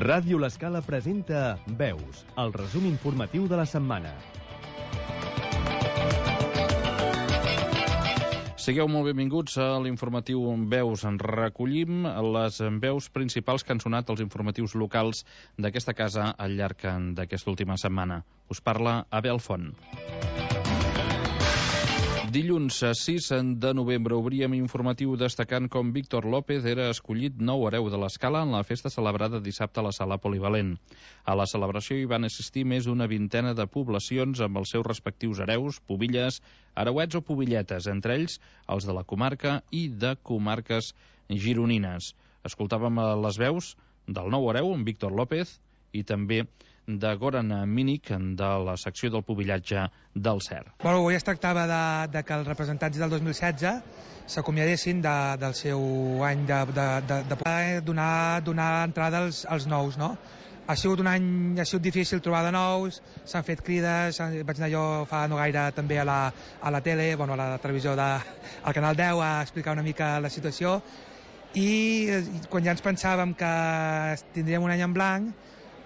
Ràdio L'Escala presenta Veus, el resum informatiu de la setmana. Sigueu molt benvinguts a l'informatiu Veus. En recollim les veus principals que han sonat als informatius locals d'aquesta casa al llarg d'aquesta última setmana. Us parla Abel Font. Dilluns 6 de novembre obríem informatiu destacant com Víctor López era escollit nou hereu de l'Escala en la festa celebrada dissabte a la sala polivalent. A la celebració hi van assistir més d'una vintena de poblacions amb els seus respectius hereus, pubilles, hereuets o pubilletes, entre ells els de la comarca i de comarques gironines. Escoltàvem les veus del nou hereu, en Víctor López, i també de Goran Mínic, de la secció del pubillatge del CER. Avui es tractava de que els representants del 2016 s'acomiadessin del seu any de donar entrada als nous, no? Ha sigut un any, ha sigut difícil trobar de nous, s'han fet crides, vaig anar jo fa no gaire també a la tele, a la televisió al Canal 10 a explicar una mica la situació, i quan ja ens pensàvem que tindríem un any en blanc,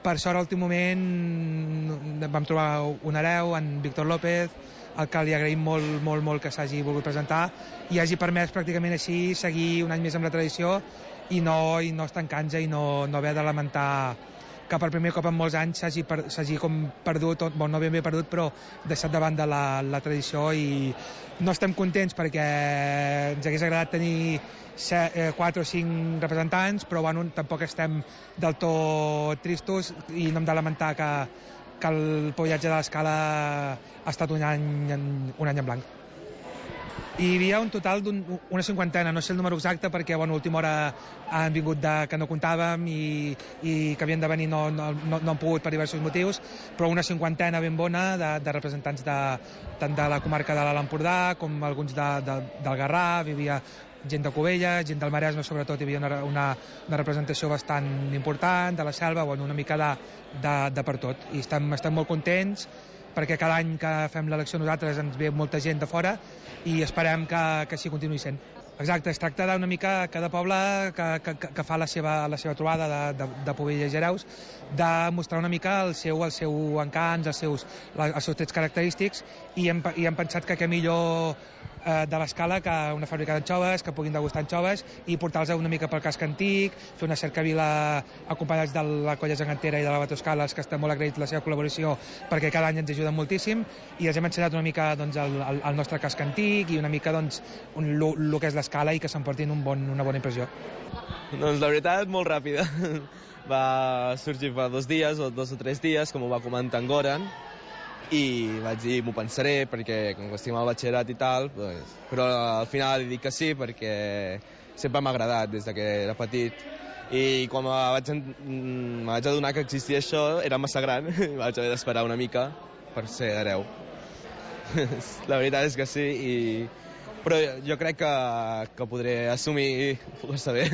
per sort, a l'últim moment vam trobar un hereu, en Víctor López, al que li agraïm molt que s'hagi volgut presentar i hagi permès pràcticament així seguir un any més amb la tradició i no estancar-nos i no haver de lamentar que per primer cop en molts anys s'hagi com perdut, no ben bé perdut, però deixat de banda la tradició, i no estem contents perquè ens hagués agradat tenir 4 o 5 representants, però tampoc estem del tot tristos i no hem de lamentar que el pubillatge de l'Escala ha estat un any en blanc. Hi havia un total d'una cinquantena, no sé el número exacte perquè a última hora han vingut que no comptàvem i que havien de venir no han pogut per diversos motius, però una cinquantena ben bona de representants tant de la comarca de l'Alt Empordà com alguns del Garraf. Hi havia gent de Cubelles, gent del Maresme, sobretot hi havia una representació bastant important, de la Selva, una mica de per tot, i estem molt contents perquè cada any que fem l'elecció nosaltres ens ve molta gent de fora i esperem que així continuï sent. Exacte, es tracta d'una mica cada poble que fa la seva trobada de pubilles i hereus, de mostrar una mica el seu encant, els seus trets característics, i hem pensat que què millor de l'Escala que una fàbrica d'anxoves, que puguin degustar anxoves i portar-los una mica pel casc antic, fer una cercavila acompanyats de la Colla Gegantera i de la Batoscales, que estem molt agraïts la seva col·laboració perquè cada any ens ajuden moltíssim, i els hem ensenyat una mica el nostre casc antic i una mica el que és l'Escala i que s'emportin una bona impressió. Doncs la veritat, molt ràpida. Va sorgir fa 2 dies o 2 o 3 dies, com ho va comentar en Goran, i vaig dir, m'ho pensaré, perquè com que estic al batxillerat i tal, però al final he dit que sí, perquè sempre m'ha agradat des que era petit, i quan me vaig adonar que existia això, era massa gran, vaig haver d'esperar una mica per ser hereu. La veritat és que sí, però jo crec que podré assumir força bé.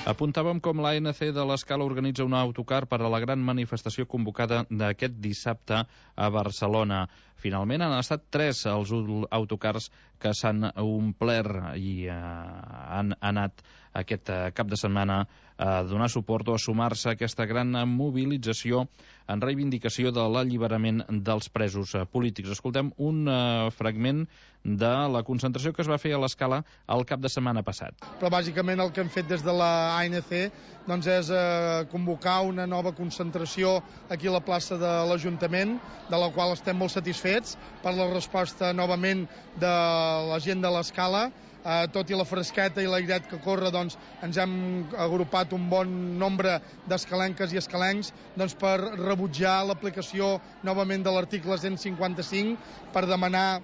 Apuntàvem com l'ANC de l'Escala organitza un autocar per a la gran manifestació convocada d'aquest dissabte a Barcelona. Finalment han estat 3 els autocars que s'han omplert i han anat aquest cap de setmana a donar suport o a sumar-se a aquesta gran mobilització en reivindicació de l'alliberament dels presos polítics. Escoltem un fragment de la concentració que es va fer a l'Escala el cap de setmana passat. Però bàsicament el que hem fet des de la ANC és convocar una nova concentració aquí a la plaça de l'Ajuntament, de la qual estem molt satisfets per la resposta novament de la gent de l'Escala. Tot i la fresqueta i l'airet que corre, ens hem agrupat un bon nombre d'escalenques i escalencs per rebutjar l'aplicació novament de l'article 155, per demanar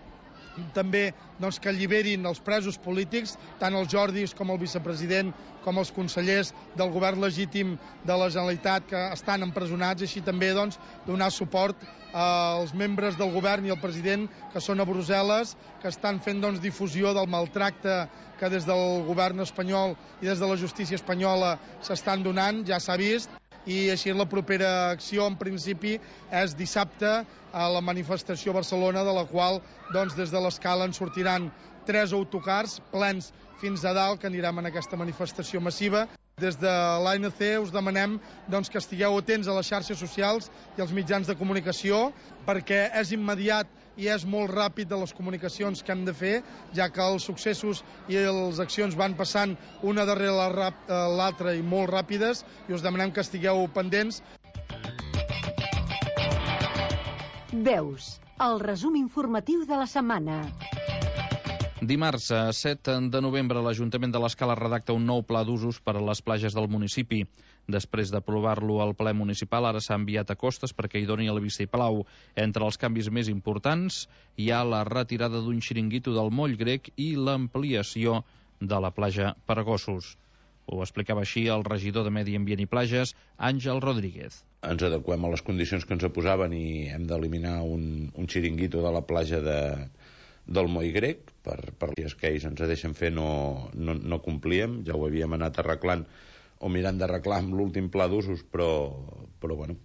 també que alliberin els presos polítics, tant els Jordis com el vicepresident com els consellers del govern legítim de la Generalitat que estan empresonats, i així també donar suport als membres del govern i al president que són a Brussel·les, que estan fent difusió del maltracte que des del govern espanyol i des de la justícia espanyola s'estan donant. Ja s'ha vist i així la propera acció en principi és dissabte a la manifestació a Barcelona, de la qual doncs, des de l'Escala en sortiran 3 autocars plens fins a dalt que anirem en aquesta manifestació massiva. Des de l'ANC us demanem doncs, que estigueu atents a les xarxes socials i als mitjans de comunicació, perquè és immediat i és molt ràpid de les comunicacions que hem de fer, ja que els successos i les accions van passant una darrere l'altra i molt ràpides, i us demanem que estigueu pendents. Veus, el resum informatiu de la setmana. Dimarts, 7 de novembre, l'Ajuntament de l'Escala redacta un nou pla d'usos per a les platges del municipi. Després d'aprovar-lo al ple municipal, ara s'ha enviat a Costes perquè hi doni el vistiplau. Entre els canvis més importants hi ha la retirada d'un xiringuito del moll grec i l'ampliació de la platja per gossos. Ho explicava així el regidor de Medi Ambient i Plages, Àngel Rodríguez. Ens adequem a les condicions que ens posaven i hem d'eliminar un xiringuito de la platja del moll grec, per les que ells ens deixen fer no complíem, ja ho havíem anat arreglant o mirant d'arreglar amb l'últim pla d'usos, però bueno,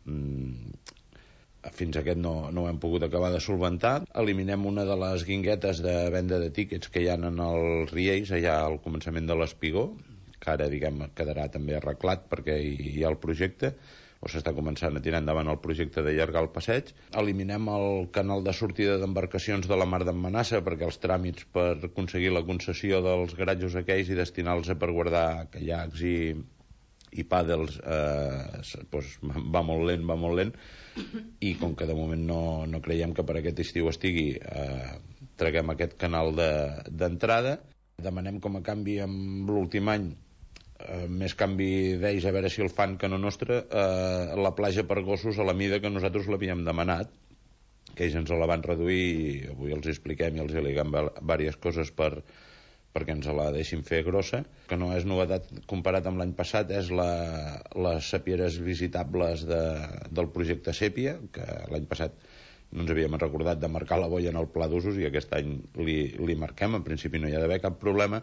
fins aquest no ho hem pogut acabar de solventar. Eliminem una de les guinguetes de venda de tíquets que hi ha en els riells, allà al començament de l'Espigó, que ara, quedarà també arreglat perquè hi ha el projecte, o s'està començant a tirar endavant el projecte d'allargar el passeig. Eliminem el canal de sortida d'embarcacions de la Mar d'en Manassa, perquè els tràmits per aconseguir la concessió dels garatjos aquells i destinar-los per guardar caiacs i pàdels va molt lent, i com que de moment no creiem que per aquest estiu estigui, traguem aquest canal d'entrada. Demanem com a canvi amb l'últim any, més canvi d'ells, a veure si el fan que no nostre, la platja per gossos a la mida que nosaltres l'havíem demanat, que ells ens la van reduir i avui els expliquem i els liguem diverses coses perquè ens la deixin fer grossa. Que no és novetat comparat amb l'any passat, és les sapieres visitables del projecte Sèpia, que l'any passat no ens havíem recordat de marcar la boia en el pla d'usos i aquest any li marquem. En principi no hi ha d'haver cap problema.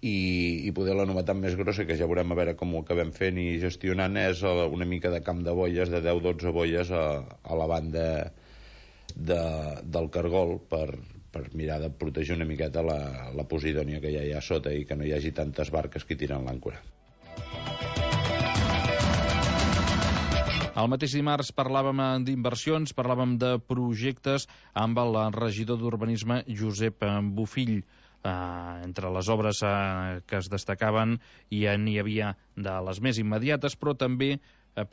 I poder la novetat més grossa, que ja veurem a veure com ho acabem fent i gestionant, és una mica de camp de boies, de 10-12 boies a la banda del cargol, per mirar de protegir una miqueta la posidònia que ja hi ha sota i que no hi hagi tantes barques que tiren l'àncora. El mateix dimarts parlàvem d'inversions, parlàvem de projectes amb el regidor d'Urbanisme, Josep Bofill. Entre les obres que es destacaven hi havia de les més immediates, però també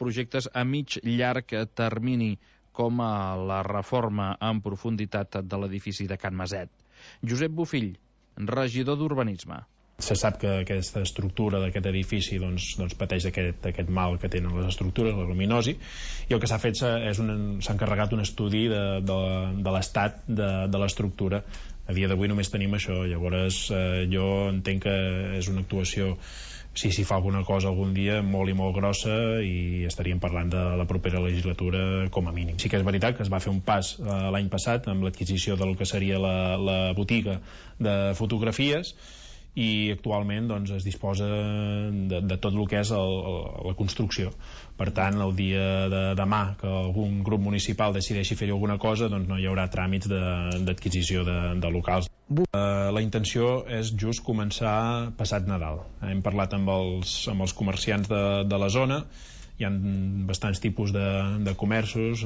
projectes a mig llarg termini, com la reforma en profunditat de l'edifici de Can Maset. Josep Bofill, regidor d'Urbanisme. Se sap que aquesta estructura d'aquest edifici pateix aquest mal que tenen les estructures, la luminosi, i el que s'ha fet s'ha encarregat un estudi de l'estat de l'estructura. A dia d'avui només tenim això, llavors jo entenc que és una actuació, si s'hi fa alguna cosa algun dia, molt i molt grossa, i estaríem parlant de la propera legislatura com a mínim. Sí que és veritat que es va fer un pas l'any passat amb l'adquisició del que seria la botiga de fotografies, i actualment es disposa de tot el que és la construcció. Per tant, el dia de demà que algun grup municipal decideixi fer alguna cosa, no hi haurà tràmits d'adquisició de locals. La intenció és just començar passat Nadal. Hem parlat amb els comerciants de la zona. Hi ha bastants tipus de comerços,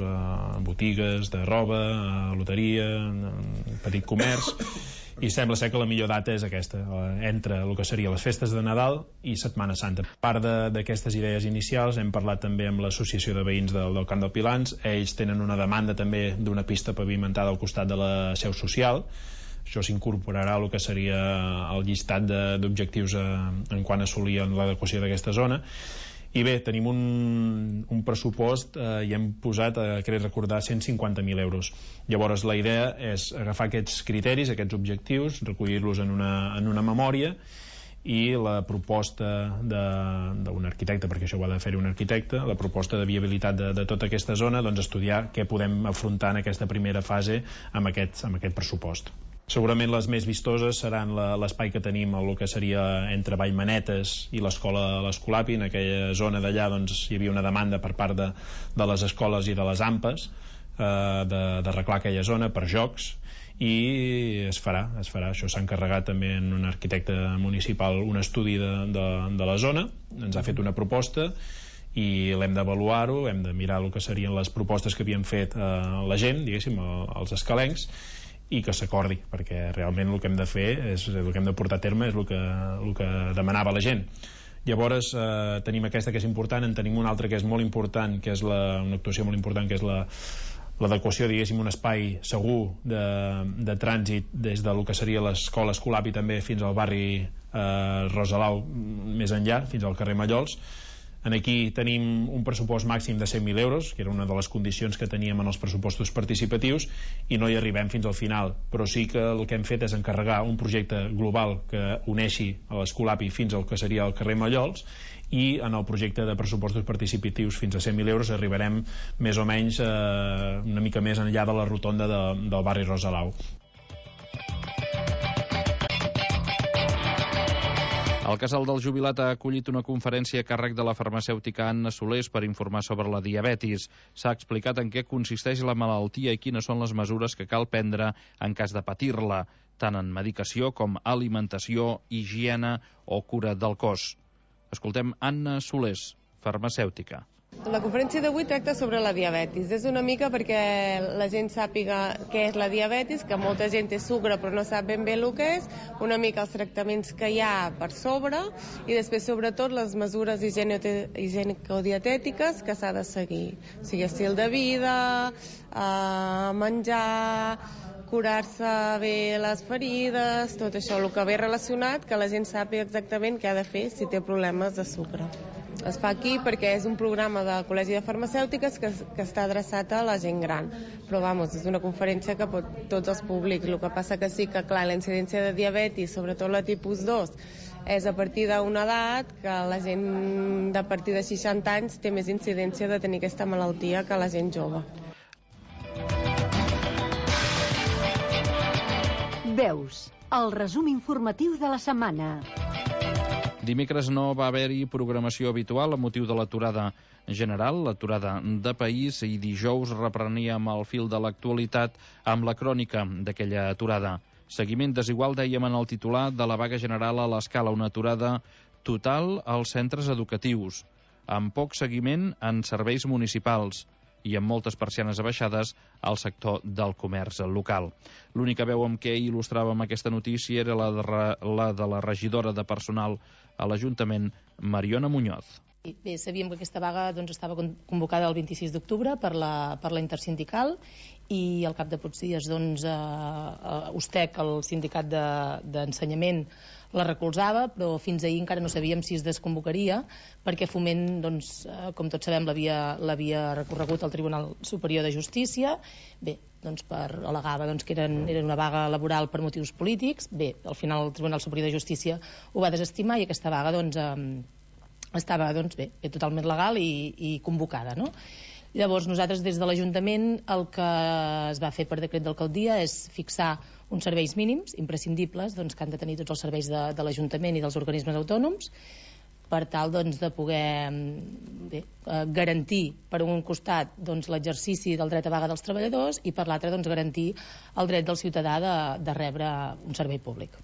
botigues de roba, loteria, petit comerç, i sembla ser que la millor data és aquesta, entre el que seria les festes de Nadal i Setmana Santa. A part d'aquestes idees inicials, hem parlat també amb l'Associació de Veïns del Camp del Pilans. Ells tenen una demanda també d'una pista pavimentada al costat de la seu social. Això s'incorporarà al que seria el llistat d'objectius en quant a assolir l'adequació d'aquesta zona. I bé, tenim un pressupost i hem posat, crec recordar, 150.000 euros. Llavors la idea és agafar aquests criteris, aquests objectius, recollir-los en una memòria, i la proposta d'un arquitecte, perquè això ho ha de fer un arquitecte, la proposta de viabilitat de tota aquesta zona, estudiar què podem afrontar en aquesta primera fase amb aquest pressupost. Segurament les més vistoses seran l'espai que tenim el que seria entre Vallmanetes i l'escola de l'Escolapi. En aquella zona d'allà doncs, hi havia una demanda per part de les escoles i de les AMPAs d'arreglar aquella zona per jocs, i es farà. Això s'ha encarregat també en un arquitecte municipal un estudi de la zona, ens ha fet una proposta i l'hem d'avaluar-ho, hem de mirar el que serien les propostes que havien fet la gent, diguéssim, els escalencs, i que s'acordi, perquè realment el que hem de fer el que hem de portar a terme és el que demanava la gent. Llavors tenim aquesta que és important, en tenim una altra que és molt important, que és una actuació molt important, que és l'adequació, diguéssim, un espai segur de trànsit des del que seria l'escola Escolapi també fins al barri Rosalau, més enllà, fins al carrer Mallols. Aquí tenim un pressupost màxim de 100.000 euros, que era una de les condicions que teníem en els pressupostos participatius, i no hi arribem fins al final, però sí que el que hem fet és encarregar un projecte global que uneixi a l'Escolapi fins al que seria el carrer Mallols, i en el projecte de pressupostos participatius fins a 100.000 euros arribarem més o menys una mica més enllà de la rotonda del barri Rosalau. El Casal del Jubilat ha acollit una conferència a càrrec de la farmacèutica Anna Solés per informar sobre la diabetis. S'ha explicat en què consisteix la malaltia i quines són les mesures que cal prendre en cas de patir-la, tant en medicació com alimentació, higiene o cura del cos. Escoltem Anna Solés, farmacèutica. La conferència d'avui tracta sobre la diabetis. És una mica perquè la gent sàpiga què és la diabetis, que molta gent té sucre però no sap ben bé el que és, una mica els tractaments que hi ha per sobre i després sobretot les mesures higienico-dietètiques que s'ha de seguir. O sigui, estil de vida, menjar, curar-se bé les ferides, tot això, el que ve relacionat, que la gent sàpiga exactament què ha de fer si té problemes de sucre. Es fa aquí perquè és un programa del Col·legi de Farmacèutiques que està adreçat a la gent gran. Però, és una conferència que pot tots els públics. El que passa que sí que, clar, la incidència de diabetis, sobretot la tipus 2, és a partir d'una edat que la gent de partir de 60 anys té més incidència de tenir aquesta malaltia que la gent jove. Veus, el resum informatiu de la setmana. Dimecres no va haver-hi programació habitual a motiu de l'aturada general, l'aturada de país, i dijous repreníem el fil de l'actualitat amb la crònica d'aquella aturada. Seguiment desigual, dèiem en el titular, de la vaga general a l'Escala, una aturada total als centres educatius, amb poc seguiment en serveis municipals i amb moltes persianes abaixades al sector del comerç local. L'única veu amb què il·lustràvem aquesta notícia era la de la regidora de personal a l'Ajuntament, Mariona Muñoz. Bé, sabíem que aquesta vaga estava convocada el 26 d'octubre per la intersindical i al cap de pocs dies USTEC, el sindicat d'ensenyament, la recolzava, però fins ahir encara no sabíem si es desconvocaria perquè Foment, com tots sabem, l'havia recorregut al Tribunal Superior de Justícia. Bé, al·legava que era una vaga laboral per motius polítics. Bé, al final el Tribunal Superior de Justícia ho va desestimar i aquesta vaga estava totalment legal i convocada, no? Llavors nosaltres des de l'Ajuntament el que es va fer per decret d'alcaldia és fixar uns serveis mínims imprescindibles que han de tenir tots els serveis de l'Ajuntament i dels organismes autònoms per tal de poder garantir per un costat l'exercici del dret a vaga dels treballadors i per l'altre garantir el dret del ciutadà de rebre un servei públic.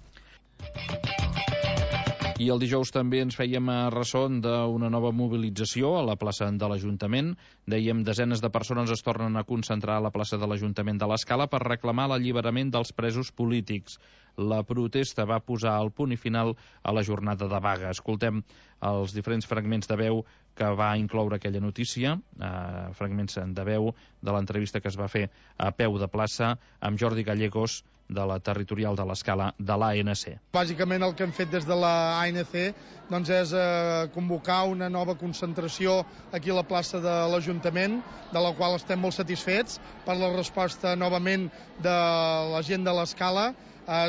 I el dijous també ens fèiem ressò d'una nova mobilització a la plaça de l'Ajuntament. Dèiem, desenes de persones es tornen a concentrar a la plaça de l'Ajuntament de l'Escala per reclamar l'alliberament dels presos polítics. La protesta va posar el punt i final a la jornada de vaga. Escoltem els diferents fragments de veu que va incloure aquella notícia, fragments de veu de l'entrevista que es va fer a peu de plaça amb Jordi Gallegos, de la territorial de l'Escala de l'ANC. Bàsicament el que hem fet des de l'ANC és convocar una nova concentració aquí a la plaça de l'Ajuntament, de la qual estem molt satisfets per la resposta novament de la gent de l'Escala.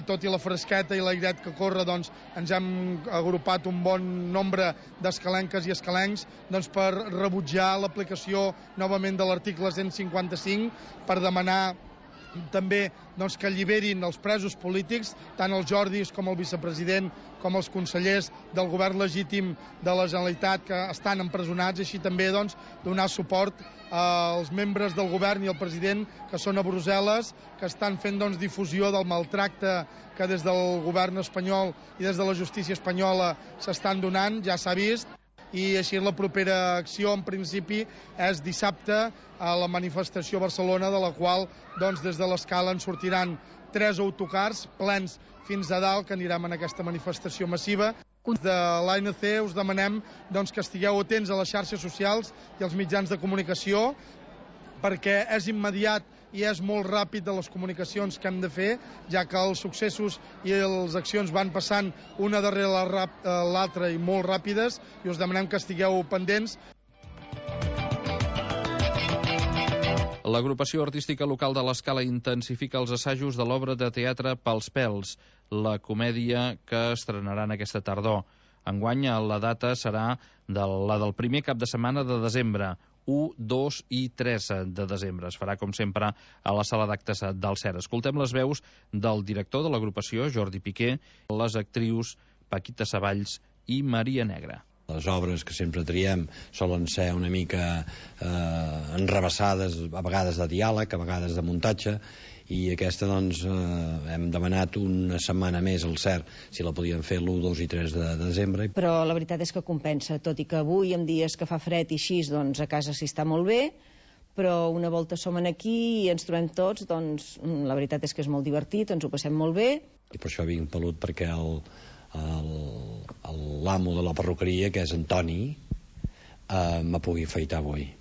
Tot i la fresqueta i l'airet que corre, ens hem agrupat un bon nombre d'escalenques i escalencs per rebutjar l'aplicació novament de l'article 155, per demanar també doncs, que alliberin els presos polítics, tant els Jordis com el vicepresident, com els consellers del govern legítim de la Generalitat que estan empresonats, i així també doncs, donar suport als membres del govern i al president que són a Brussel·les, que estan fent doncs, difusió del maltracte que des del govern espanyol i des de la justícia espanyola s'estan donant, ja s'ha vist. I així la propera acció, en principi, és dissabte a la manifestació a Barcelona, de la qual doncs, des de l'Escala en sortiran 3 autocars plens fins a dalt, que anirem en aquesta manifestació massiva. De l'ANC us demanem doncs, que estigueu atents a les xarxes socials i als mitjans de comunicació, perquè és immediat i és molt ràpid de les comunicacions que hem de fer, ja que els successos i les accions van passant una darrere l'altra i molt ràpides, i us demanem que estigueu pendents. L'agrupació artística local de l'Escala intensifica els assajos de l'obra de teatre Pels pèls, la comèdia que estrenaran aquesta tardor. Enguany la data serà la del primer cap de setmana de desembre, 1, 2 i 3 de desembre. Es farà, com sempre, a la sala d'actes del CER. Escoltem les veus del director de l'agrupació, Jordi Piqué, les actrius Paquita Savalls i Maria Negra. Les obres que sempre triem solen ser una mica enrevessades, a vegades de diàleg, a vegades de muntatge, i aquesta doncs hem demanat una setmana més al CER si la podíem fer l'1, 2 i 3 de desembre. Però la veritat és que compensa, tot i que avui en dies que fa fred i així, doncs a casa s'hi està molt bé, però una volta som aquí i ens trobem tots, doncs la veritat és que és molt divertit, ens ho passem molt bé. I per això vinc pelut, perquè l'amo de la perruqueria, que és Antoni, me pugui afaitar avui.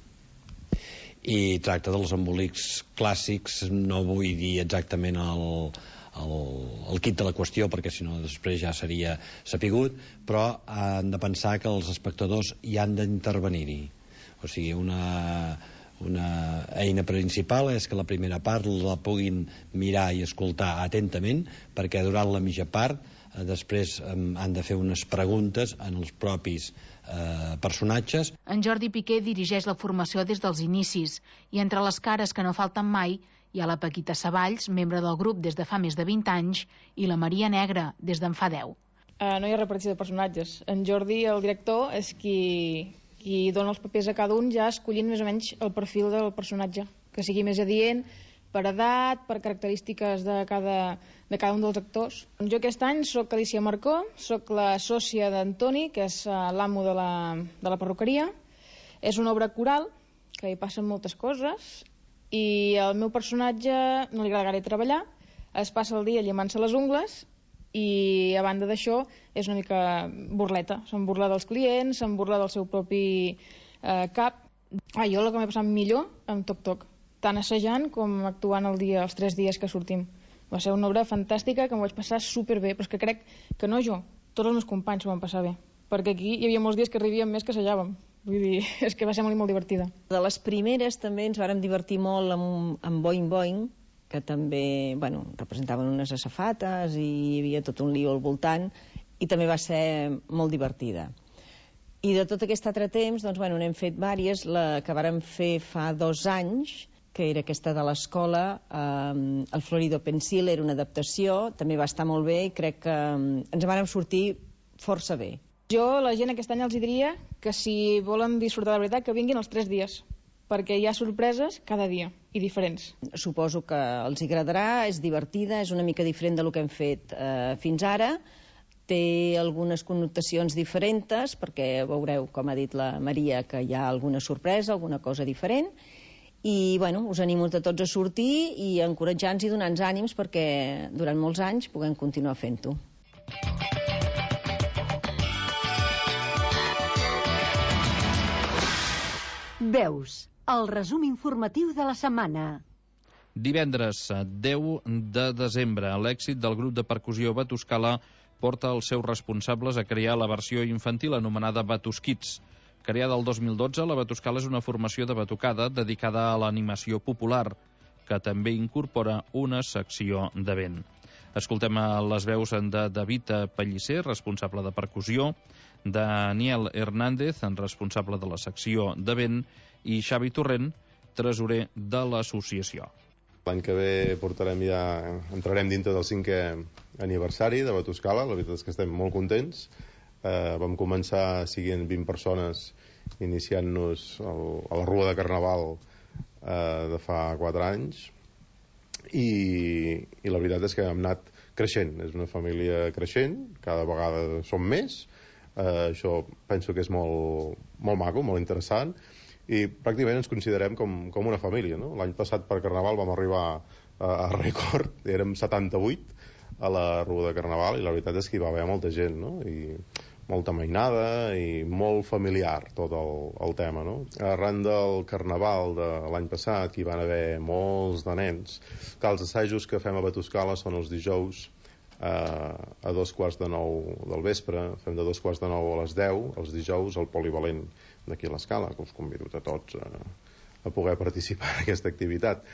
I tracta dels embolics clàssics, no vull dir exactament el quid de la qüestió, perquè si no després ja seria sapigut, però han de pensar que els espectadors hi han d'intervenir-hi. O sigui, una eina principal és que la primera part la puguin mirar i escoltar atentament, perquè durant la mitja part després han de fer unes preguntes en els propis personatges. En Jordi Piqué dirigeix la formació des dels inicis, i entre les cares que no falten mai hi ha la Paquita Savalls, membre del grup des de fa més de 20 anys, i la Maria Negra, des d'en fa 10. No hi ha repartició de personatges. En Jordi, el director, és qui dona els papers a cada un, ja escollint més o menys el perfil del personatge, que sigui més adient, per edat, per característiques de cada un dels actors. Jo aquest any soc Alicia Marcó, soc la sòcia d'Antoni, que és l'amo de la perruqueria. És una obra coral, que hi passen moltes coses, i el meu personatge no li agrada gaire treballar, es passa el dia llimant-se les ungles, i a banda d'això és una mica burleta. Se'n burla dels clients, se'n burla del seu propi cap. Jo el que m'he passat millor amb Toc Toc, tant assajant com actuant els 3 dies que sortim. Va ser una obra fantàstica que m'ho vaig passar superbé, però és que crec que no jo, tots els meus companys s'ho van passar bé, perquè aquí hi havia molts dies que arribíem més que assajàvem. Vull dir, és que va ser molt i molt divertida. De les primeres també ens vàrem divertir molt amb Boing Boing, que també representaven unes asafates i hi havia tot un lío al voltant, i també va ser molt divertida. I de tot aquest altre temps, doncs, n'hem fet diverses. La que vàrem fer fa 2 anys, que era aquesta de l'escola, el Florido Pensil, era una adaptació, també va estar molt bé i crec que ens vàrem sortir força bé. Jo, la gent aquest any els diria que si volen disfrutar de veritat, que vinguin els 3 dies, perquè hi ha sorpreses cada dia i diferents. Suposo que els agradarà, és divertida, és una mica diferent del que hem fet fins ara, té algunes connotacions diferents, perquè veureu, com ha dit la Maria, que hi ha alguna sorpresa, alguna cosa diferent, i us animo a tots a sortir i a encoratjar-nos i donar-nos ànims perquè durant molts anys puguem continuar fent-ho. Veus, el resum informatiu de la setmana. Divendres 10 de desembre, l'èxit del grup de percussió Batuscala porta els seus responsables a crear la versió infantil anomenada Batuskids. Creada el 2012, la Batuscala és una formació de batucada dedicada a l'animació popular, que també incorpora una secció de vent. Escoltem les veus de David Pellicer, responsable de percussió, Daniel Hernández, responsable de la secció de vent, i Xavi Torrent, tresorer de l'associació. L'any que ve entrarem dintre del 5è aniversari de Batuscala. La veritat és que estem molt contents. Vam començar siguent 20 persones iniciant-nos a la Rua de Carnaval de fa 4 anys i la veritat és que hem anat creixent. És una família creixent, cada vegada som més. Això penso que és molt maco, molt interessant, i pràcticament ens considerem com una família, no? L'any passat per Carnaval vam arribar a rècord, érem 78 a la Rua de Carnaval, i la veritat és que hi va haver molta gent, no? I molta mainada i molt familiar tot el tema, no? Arran del Carnaval de l'any passat, que hi van haver molts de nens, que els assajos que fem a Batuscala són els dijous a 8:45 del vespre, fem de 8:45 a les 10, els dijous al Polivalent d'aquí a l'Escala, que us convido a tots a poder participar en aquesta activitat.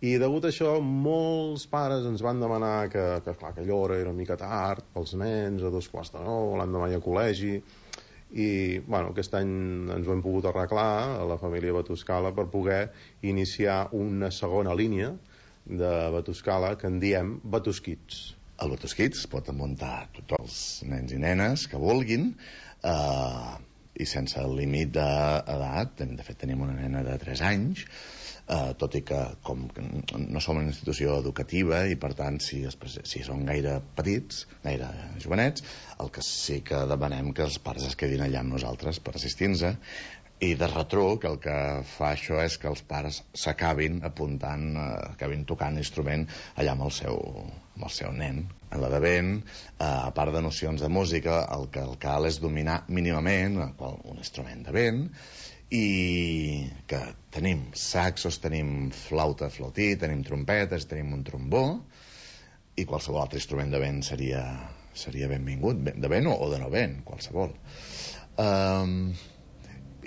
I degut a això, molts pares ens van demanar que clar, aquella hora era una mica tard pels nens, a 8:45, l'endemà hi ha col·legi, i bueno, aquest any ens ho hem pogut arreglar a la família Batuscala per poder iniciar una segona línia de Batuscala que en diem Batuskids. Al Batuskids pot muntar tots els nens i nenes que vulguin, i sense límit d'edat. De fet, tenim una nena de 3 anys, tot i que com no som una institució educativa i per tant si són gaire petits, gaire jovenets, el que sí que demanem que els pares es quedin allà amb nosaltres per assistir-nos, i de retruc el que fa això és que els pares s'acabin apuntant, acabin tocant l'instrument allà amb el seu nen. En la de vent, a part de nocions de música, el que cal és dominar mínimament un instrument de vent, i que tenim saxos, tenim flauta, flautí, tenim trompetes, tenim un trombó, i qualsevol altre instrument de vent seria benvingut, de vent o de no vent, qualsevol.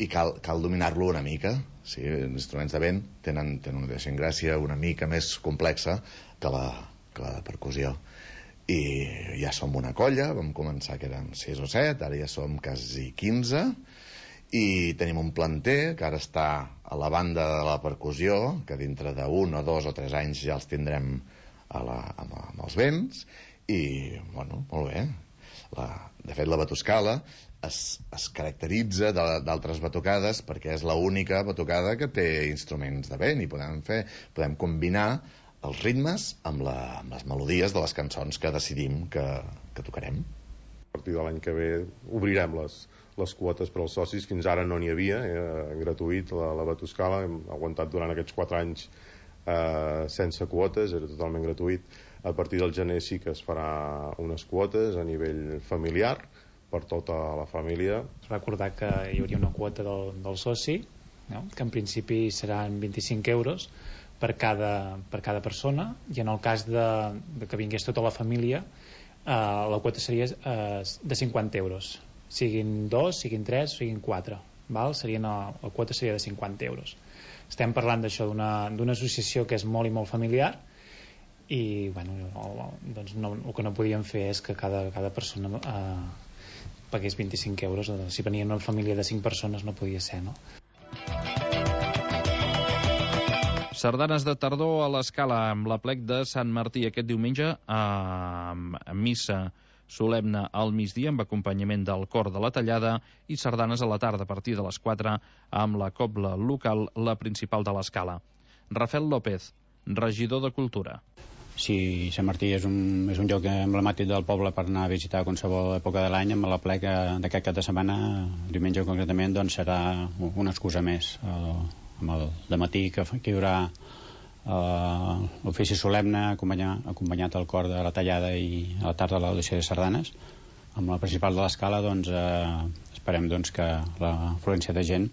I cal dominar-lo una mica. Sí, els instruments de vent tenen una idiosincràsia una mica més complexa que la de percussió. I ja som una colla, vam començar que érem 6 o 7, ara ja som quasi 15, i tenim un planter que ara està a la banda de la percussió, que dintre d'1 o 2 o 3 anys ja els tindrem amb els vents, i, bueno, molt bé. De fet, la Batuscala es caracteritza d'altres batucades perquè és l'única batucada que té instruments de vent i podem combinar els ritmes amb les melodies de les cançons que decidim que tocarem. A partir de l'any que ve obrirem les quotes per als socis. Fins ara no n'hi havia, era gratuït la Batuscala, hem aguantat durant aquests 4 anys sense quotes, era totalment gratuït. A partir del gener sí que es farà unes quotes a nivell familiar per tota la família. Recordar que hi hauria una quota del soci, no? Que en principi seran 25 euros per cada persona, i en el cas de que vingués tota la família, la quota seria de 50 euros. Siguin 2, siguin 3, siguin 4. Val? La quota seria de 50 euros. Estem parlant d'això, d'una associació que és molt i molt familiar, i bueno, doncs el que no podíem fer és que cada persona pagués 25 euros. Si venia una família de 5 persones no podia ser, no? Sardanes de tardor a l'Escala amb l'aplec de Sant Martí aquest diumenge, a missa solemne al migdia amb acompanyament del cor de la Tallada, i sardanes a la tarda a partir de les 4 amb la cobla local, la principal de l'Escala. Rafael López, regidor de Cultura. Sí, Sant Martí és un lloc emblemàtic del poble per anar a visitar a qualsevol època de l'any. Amb l'aplec d'aquest cap de setmana, diumenge concretament, doncs serà una excusa més. Amb el dematí que hi haurà l'ofici solemne acompanyat al cor de la Tallada, i a la tarda l'audició de sardanes. Amb la principal de l'Escala doncs, esperem doncs, que l'afluència de gent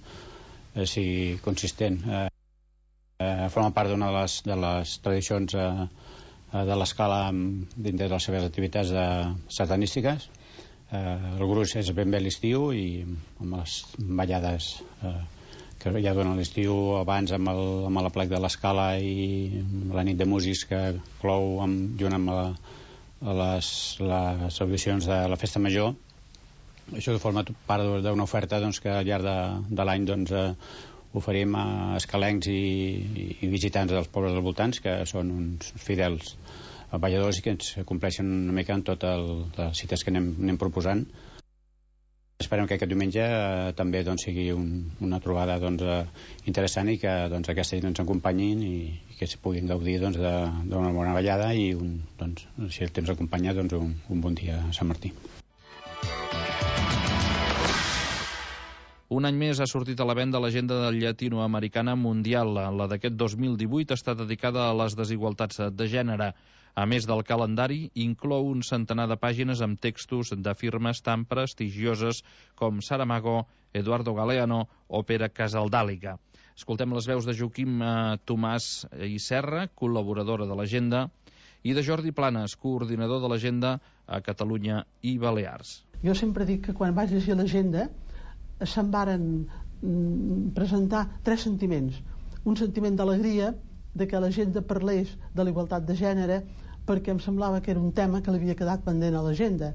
sigui consistent. Forma part d'una de les tradicions de l'Escala dintre de les seves activitats sardanístiques. El gruix és ben bé l'estiu, i amb les ballades que ja donen l'estiu, abans amb l'aplec de l'Escala i la nit de músics que clou junt amb les audicions de la Festa Major. Això forma part d'una oferta doncs, que al llarg de l'any doncs, oferim a escalencs i visitants dels pobles dels voltants, que són uns fidels balladors i que ens compleixen una mica en totes les cites que anem proposant. Esperem que aquest diumenge també sigui una trobada interessant i que aquesta gent ens acompanyin i que es puguin gaudir d'una bona ballada i, si el temps acompanya, un bon dia a Sant Martí. Un any més ha sortit a la venda l'agenda llatinoamericana mundial. La d'aquest 2018 està dedicada a les desigualtats de gènere. A més del calendari, inclou un centenar de pàgines amb textos de firmes tan prestigioses com Saramago, Eduardo Galeano o Pere Casaldàliga. Escoltem les veus de Joaquim Tomàs i Serra, col·laboradora de l'agenda, i de Jordi Planes, coordinador de l'agenda a Catalunya i Balears. Jo sempre dic que quan vaig llegir l'agenda se'n varen presentar 3 sentiments. Un sentiment d'alegria de que l'agenda parlés de la igualtat de gènere, perquè em semblava que era un tema que l'havia quedat pendent a l'agenda.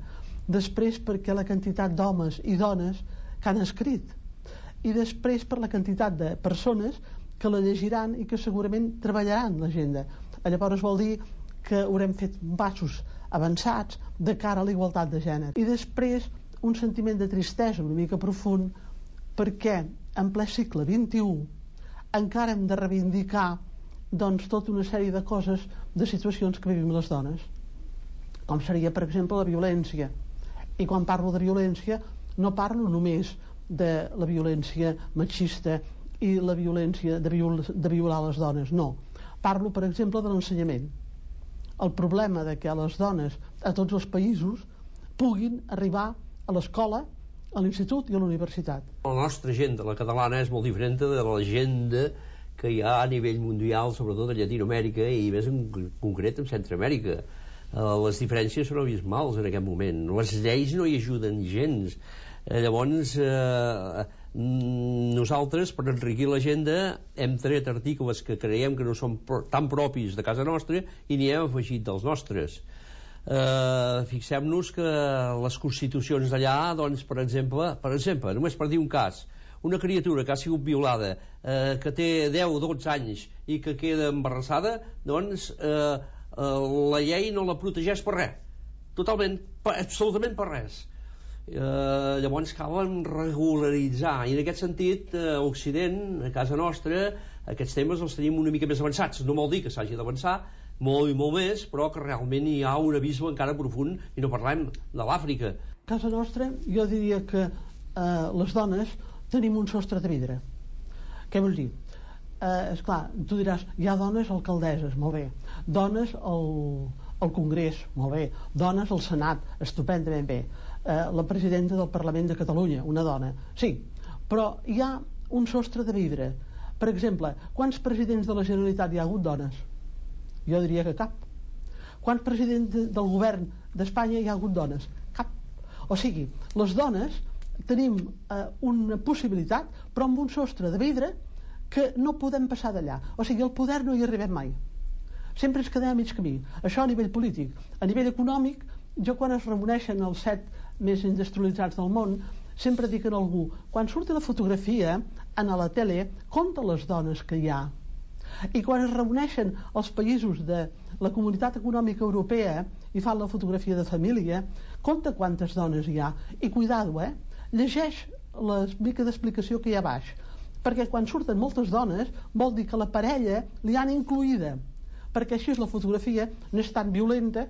Després perquè la quantitat d'homes i dones que han escrit. I després per la quantitat de persones que la llegiran i que segurament treballaran l'agenda. Llavors vol dir que haurem fet passos avançats de cara a la igualtat de gènere. I després un sentiment de tristesa una mica profund, perquè en ple segle XXI encara hem de reivindicar tota una sèrie de coses, de situacions que vivim les dones, com seria per exemple la violència. I quan parlo de violència no parlo només de la violència machista i la violència de violar les dones, no. Parlo per exemple de l'ensenyament, el problema de que les dones a tots els països puguin arribar a l'escola, a l'institut i a la universitat. La nostra agenda, la catalana, és molt diferent de l'agenda que hi ha a nivell mundial, sobretot a Llatinoamèrica i més en concret en Centroamèrica. Les diferències són abismals en aquest moment. Les lleis no hi ajuden gens. Llavors, nosaltres, per enriquir l'agenda, hem tret articles que creiem que no són tan propis de casa nostra i n'hi hem afegit dels nostres. Fixem-nos que les constitucions d'allà, doncs, per exemple, només per dir un cas, una criatura que ha sigut violada, que té 10 o 12 anys i que queda embarassada, doncs la llei no la protegeix per res, totalment, absolutament per res. Llavors calen regularitzar, i en aquest sentit a Occident, a casa nostra, aquests temes els tenim una mica més avançats. No vol dir que s'hagi d'avançar molt i molt més, però que realment hi ha un abisme encara profund, i no parlem de l'Àfrica. A casa nostra jo diria que les dones tenim un sostre de vidre. Què vols dir? Esclar, tu diràs, hi ha dones alcaldesses, molt bé, dones al Congrés, molt bé, dones al Senat, estupendament bé, la presidenta del Parlament de Catalunya, una dona, sí, però hi ha un sostre de vidre. Per exemple, quants presidents de la Generalitat hi ha hagut dones? Jo diria que cap. Quants presidents del govern d'Espanya hi ha hagut dones? Cap. O sigui, les dones tenim una possibilitat, però amb un sostre de vidre que no podem passar d'allà. O sigui, el poder no hi arribem mai. Sempre ens quedem a mig camí. Això a nivell polític. A nivell econòmic, jo quan es reuneixen els 7 més industrialitzats del món, sempre dic a algú, quan surti la fotografia a la tele, compta les dones que hi ha. I quan es reuneixen els països de la Comunitat Econòmica Europea i fan la fotografia de família, compta quantes dones hi ha. I cuidado, llegeix la mica d'explicació que hi ha a baix, perquè quan surten moltes dones vol dir que la parella li han incluïda, perquè així la fotografia no és tan violenta.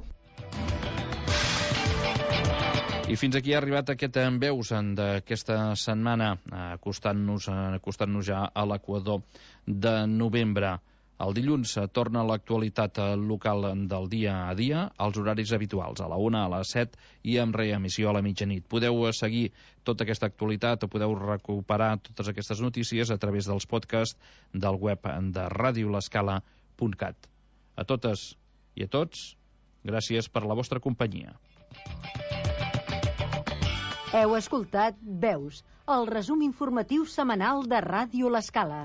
I fins aquí ha arribat aquest En Veus d'aquesta setmana, acostant-nos ja a l'equador de novembre. El dilluns torna l'actualitat local del dia a dia, als horaris habituals, a la 1, a les 7 i amb reemissió a la mitjanit. Podeu seguir tota aquesta actualitat o podeu recuperar totes aquestes notícies a través dels podcasts del web de radiolescala.cat. A totes i a tots, gràcies per la vostra companyia. Heu escoltat Veus, el resum informatiu setmanal de Ràdio L'Escala.